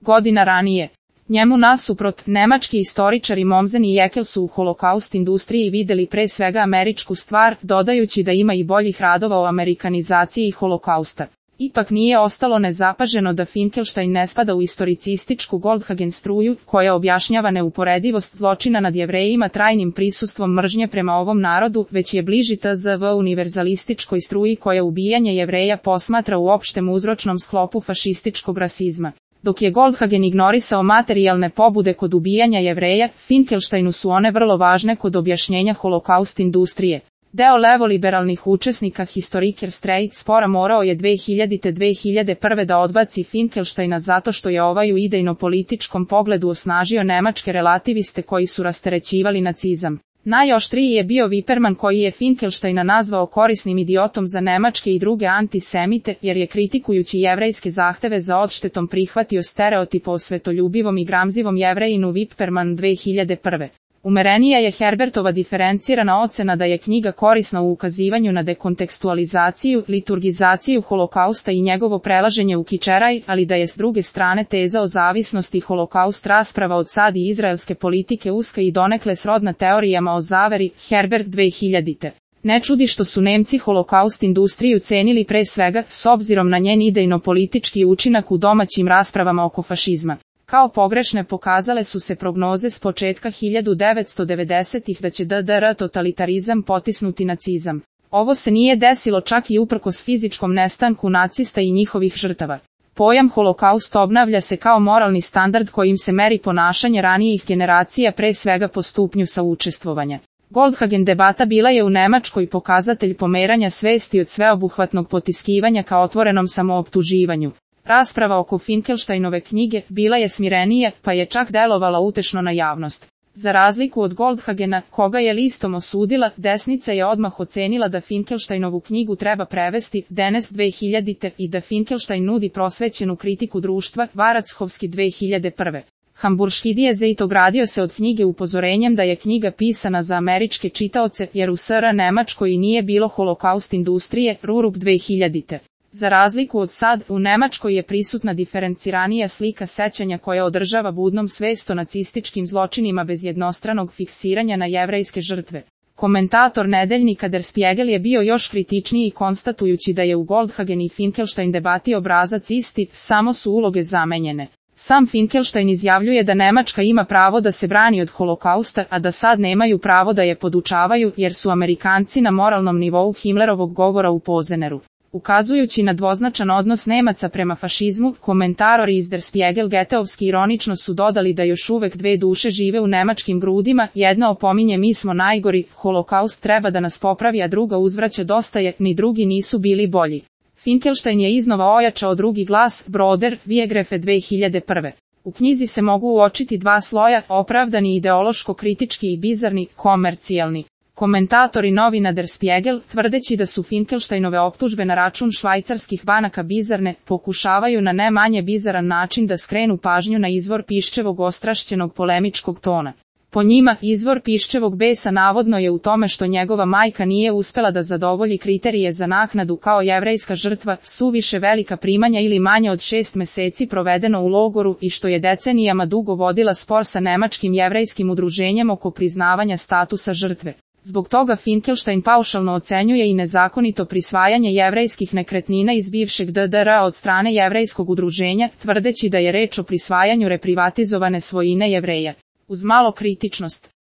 godina ranije. Njemu nasuprot, nemački istoričari Mommsen i Jekyll su u holokaust industriji videli pre svega američku stvar, dodajući da ima i boljih radova o amerikanizaciji holokausta. Ipak nije ostalo nezapaženo da Finkelstein ne spada u istoricističku Goldhagen struju, koja objašnjava neuporedivost zločina nad Jevrejima trajnim prisustvom mržnje prema ovom narodu, već je bliži tzv. Univerzalističkoj struji koja ubijanje Jevreja posmatra u opštem uzročnom sklopu fašističkog rasizma. Dok je Goldhagen ignorisao materijalne pobude kod ubijanja Jevreja, Finkelsteinu su one vrlo važne kod objašnjenja holokaust industrije. Deo levoliberalnih učesnika Historiker Straight spora morao je 2000-2001 da odbaci Finkelsteina zato što je ovaj u idejno-političkom pogledu osnažio nemačke relativiste koji su rasterećivali nacizam. Najoštriji je bio Wippermann koji je Finkelsteina nazvao korisnim idiotom za nemačke i druge antisemite, jer je kritikujući jevrejske zahteve za odštetom prihvatio stereotip o svetoljubivom i gramzivom Jevrejinu Wippermann 2001. Umerenija je Herbertova diferencirana ocena da je knjiga korisna u ukazivanju na dekontekstualizaciju, liturgizaciju holokausta i njegovo prelaženje u kičeraj, ali da je s druge strane teza o zavisnosti holokaust rasprava od sad i izraelske politike uska i donekle srodna teorijama o zaveri, Herbert 2000. Ne čudi što su Nemci holokaust industriju cenili pre svega, s obzirom na njen idejno-politički učinak u domaćim raspravama oko fašizma. Kao pogrešne pokazale su se prognoze s početka 1990-ih da će DDR totalitarizam potisnuti nacizam. Ovo se nije desilo čak i uprkos fizičkom nestanku nacista i njihovih žrtava. Pojam holokaust obnavlja se kao moralni standard kojim se meri ponašanje ranijih generacija pre svega po stupnju saučestvovanja. Goldhagen debata bila je u Nemačkoj pokazatelj pomeranja svesti od sveobuhvatnog potiskivanja ka otvorenom samooptuživanju. Rasprava oko Finkelsteinove knjige bila je smirenija, pa je čak delovala utešno na javnost. Za razliku od Goldhagena, koga je listom osudila, desnica je odmah ocenila da Finkelsteinovu knjigu treba prevesti, Denest 2000. I da Finkelstein nudi prosvećenu kritiku društva, Varachovski 2001. Hamburški Dijezeit ogradio se od knjige upozorenjem da je knjiga pisana za američke čitaoce, jer u SR Nemačkoj i nije bilo holokaust industrije, Rurup 2000. Za razliku od sad, u Nemačkoj je prisutna diferenciranija slika sećanja koja održava budnom svest o nacističkim zločinima bez jednostranog fiksiranja na jevrejske žrtve. Komentator nedeljnika Der Spiegel je bio još kritičniji konstatujući da je u Goldhagen i Finkelstein debati obrazac isti, samo su uloge zamenjene. Sam Finkelstein izjavljuje da Nemačka ima pravo da se brani od holokausta, a da sad nemaju pravo da je podučavaju jer su Amerikanci na moralnom nivou Himmlerovog govora u Pozeneru. Ukazujući na dvoznačan odnos Nemaca prema fašizmu, komentatori iz Der Spiegel geteovski ironično su dodali da još uvek dve duše žive u nemačkim grudima, jedna opominje mi smo najgori, holokaust treba da nas popravi, a druga uzvraća dosta je, ni drugi nisu bili bolji. Finkelstein je iznova ojačao drugi glas, Broder, Viegrefe 2001. U knjizi se mogu uočiti dva sloja, opravdani ideološko-kritički i bizarni, komercijalni. Komentatori novina Der Spiegel, tvrdeći da su Finkelsteinove optužbe na račun švajcarskih banaka bizarne, pokušavaju na ne manje bizaran način da skrenu pažnju na izvor Piščevog ostrašćenog polemičkog tona. Po njima, izvor Piščevog besa navodno je u tome što njegova majka nije uspela da zadovolji kriterije za naknadu kao jevrejska žrtva, suviše velika primanja ili manje od 6 meseci provedeno u logoru i što je decenijama dugo vodila spor sa nemačkim jevrejskim udruženjem oko priznavanja statusa žrtve. Zbog toga Finkelstein paušalno ocenjuje i nezakonito prisvajanje jevrejskih nekretnina iz bivšeg DDR od strane jevrejskog udruženja, tvrdeći da je reč o prisvajanju reprivatizovane svojine Jevreja. Uz malo kritičnost,